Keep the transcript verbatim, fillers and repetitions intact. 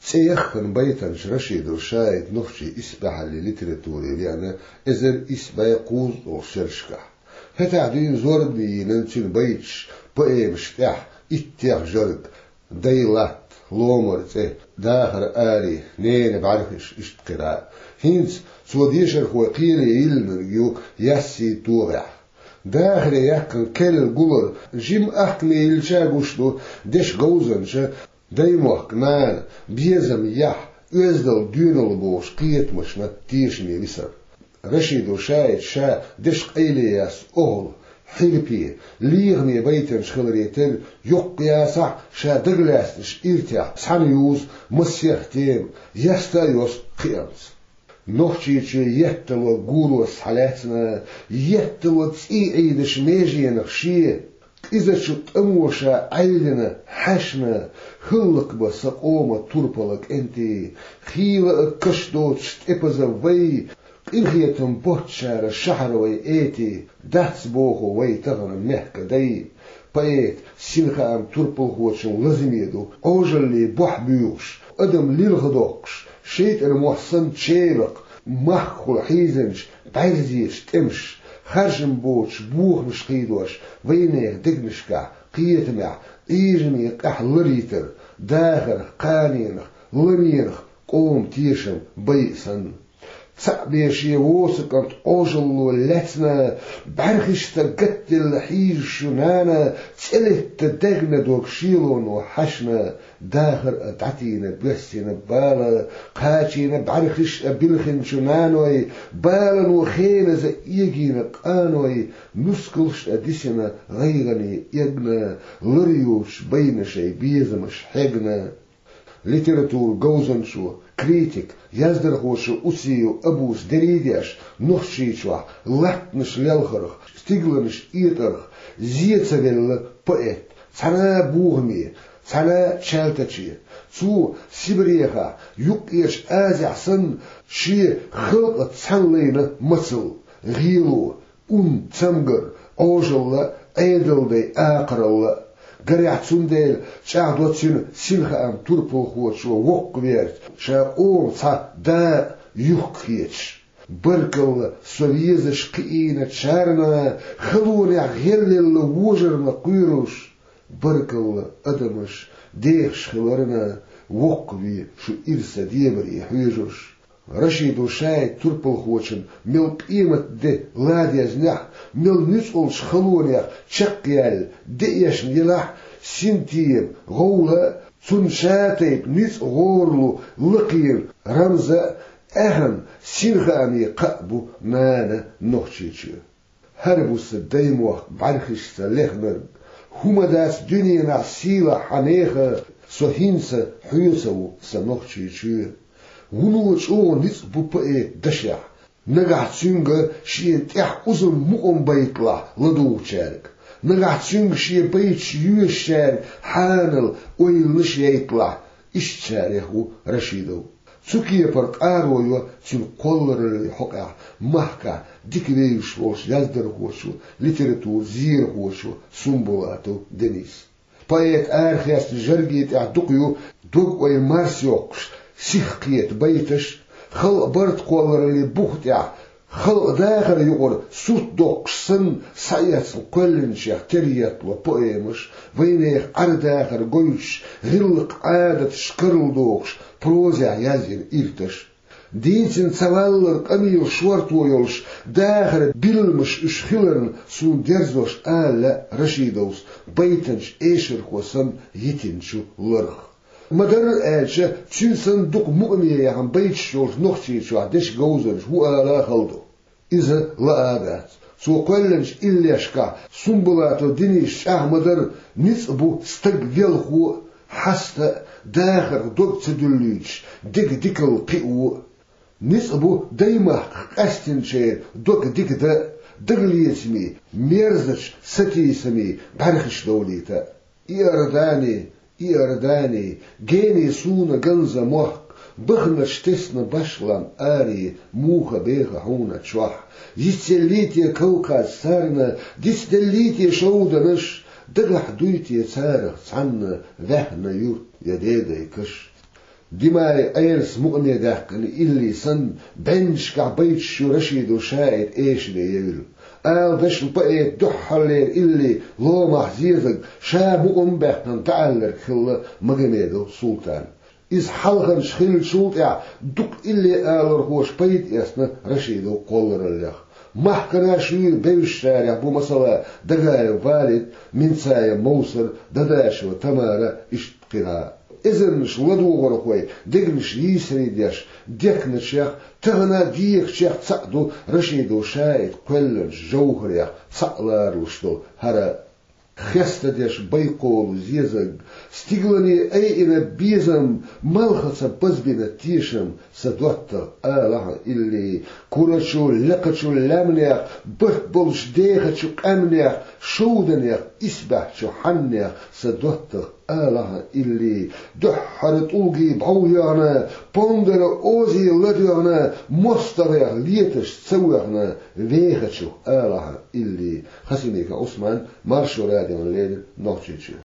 ЦӀе яххана байтанча Рашидов Шаида нохчий исбаьхьаллин литературе веана эзар исс бӀе кхузткъа шерашкахь. ХӀетахь дуьйна зорбане йина цуьнан байташ, поэмаш тӀехь иттех жарг: «Дай латта», «Ломара цӀе», «Дахар аре», «Ненан бӀаьрхиш», иштта кхидӀа а. ХӀинца цо дешархой кхеле йиллинарг ю яьсси тогӀехь. Дахаре яьккхина керла гулар жима ахкаме йиллича гуш ду дешан говзанча, даймохк, нана, безам, яхь, оьздал, доьналла бохучу кхетамашна тешаме висар. Рашидов Шаида ша дешан къайле яьсса охӀла, хьирпе, лехаме байтанча хиларе терра, йоккха ясахь а, ша дагалаьцначу иртехь цхьаьна юзу массех тема, яста а йосту кхиамца. Нохчийчоь етталора гурош схьалаьцна, етталора цӀий Ӏийдачу меженах шен, кӀизачу тӀамо ша Ӏаьллина хьаьшна, хӀаллакбан сан къоман турпала кӀентий, хийла а каш доцуш тӀепаза вай, къинхетам боцчара шахьара вай эти, дац боху вай тахана мехкан дай. Поэта синхаам турпалхочун лазаме ду, Ӏожаллин бохь буьйхуш, адам лилхадоккхуш, шайтӀан мохь санна чеваккха, махкахула хьийзинчу бӀаьрзечу тӀемаш, харжам боцуш бохамаш кхийдош, вайнехан дегнашкахь, кхетамехь, Ӏийжаме къаьхьа ларъяйтар, дахарх, кханенах, ларенах къоман тешам байа санна. Цхьаъ бен шен воцу кӀант Ӏожалло лаьцна, бӀаьрхишца гатделла хьийзаш ю нана, цӀе летта даьгна дог шелоно хьаьшна, дахар а дӀатийна боьссина бала, кхачийна бӀаьрхиш а билхинчу наной, балано хеназа эгийна къаной, нускалш а дисина гӀайгӀане эгна, лар йоцуш байна шайн безамаш хьегна. Литературан говзанчо, критик, яздархочо Усиев Абус дерриг а деш, Нохчийчохь латтанаш лелхарх, стигланаш этӀарх зе ца велла поэт, цхьана а бохаме, цхьана а чалтаче. Цо Сибрехахь, Юккъерчу Азехь санна, шен халкъаца цхьаьна лайна мацалла, гӀело, ун, цамгар, Ӏожалла, Ӏедалдай акхаралла. Гарехь, цундела чӀагӀдо цуьнан синхаам турпалхочо воккхаверца, ша къоман цхьа дакъа юхкхеташ. Баркалла, со везаш кхиийначарна, халонехь гӀелъелла вожарна кхоьруш. Баркалла, адамаш, дехаш хиларна, воккхаве шу ирса дебаре хьоьжуш. Рашидов Шаида турпалхочун мел къематде ладезнехь, мел нуьцкъалчу халонех чекхъяьлла деэшна елахь, синтем, гӀовла а, цунна шатайпа ницкъ гӀоралу лакхера рамза а, аьхна синхааме кхаъ бу нана Нохчийчоь. ХӀара бу сан даймохк бӀаьрхишца лехнарг, хӀума дац дуьненахь сийлахь хьан нехан, со хӀинца хьоьца ву сан Нохчийчоь. Вуно чӀогӀа ницкъ бу поэта дашехь, нагахь цуьнга шена тӀехь узам, мукъам байталахь ладугӀучаьрга, нагахь цуьнга шен байташ йоьшучаьрга хьанал ойланаш яйталахь, ишттачарех ву Рашидов. Цу кепара къаро йо цуьнан кхоллараллин хьокъехь махкахь дика вевзаш волчу яздархочо, литературан зерахочо Сумбулатов Дениса. Поэта арахецначу жарге тӀехь дукха ю дог-ойла марсайоккхуш, сихкхета байташ, халкъан барт кхоллараллин бух тӀехь халкъан дахаран юкъара сурт доккхуш санна, схьаэцна кхоьллинчех тера еттало поэмаш, вайнехан Ӏер-дахар гойтуш, гӀиллакх-Ӏадаташ карладохуш, прозехь язйина ирташ. Дийцина ца валлалц къамелан шорто йолуш, дахаран билламаш уьш хиларна, суна дерзош ала лаьа Рашидовс байтанчу эшархо санна йитинчу ларх. Ма-дарра аьлча, цуьнан санна дукха мукъаме яхна байташ йолуш Нохчийчохь дешан говзанча ву ала а хала ду. Иза лаа а дац. Цо кхоьллинчу иллешкахь Сумбулатов Дениса чӀагӀ ма-дарра: ницкъ бу стаг велхо а, хьаста а, дахарх дог ца дуьллуьйтуш, деган дикалла кхио а. Ницкъ бу даймахках къаьстинчеран дог дика дан а, дагалецамийн, мерзачу сатийсамийн бӀаьрхиш довлийта а. Иордани, Иордани, гени суна ганза мохк, баханарш тесна башлам аре, муха беха хьуна чохь. Йицделлий те Кавказ царна, дицделлий те шовданаш, дагахь дуй те царах цхьанна ваьхна юрт я дедайн каш? Димай Ӏерас мукъане даьккхина илли санна, бӀеннашкахь байташ ю Рашидов ШаӀита эшаре евлла. Ала дашна поэта дуьххьарлера илли ломахь зезаг ша мукъам а баьккхина дӀаалларг хилла Магомедов Султана. Иза хьалхарчу хиллачул тӀаьхьа дукха илли алархоша пайда эцна Рашидов кхоллараллех. Махкара шуьйра бевзачарех бу, масала, Дагаев Валид, Минцаев Мовсар, Дадашева Тамара, иштта кхин а. Эзарнаш ладогӀархой дегнаш йийсаре деш дехначех, тахана а дехачех цхьаъ ду Рашидов ШаӀита кхоьллинчу жовхӀарех цхьаъ ларалуш долу хӀара хестадеш байкхолу зезаг. Стигалане айина безам, малхаца базбина тешам, сан доттагӀа, ала хьан илли. Курачу, лекхачу лаьмнех, барт болчу дехачу къаьмнех, шовданех, исбаьхьчу хьаннех, сан доттагӀа, ала хьан илли. Дуьххьара тӀулгий бӀов йоьгӀна, понгара озий ладоьгӀна, мостагӀех леташ ца воьгӀна, вехачух, ала хьан илли. Хасимиков Ӏусман, Маршо радиона леррина, Нохчийчоь.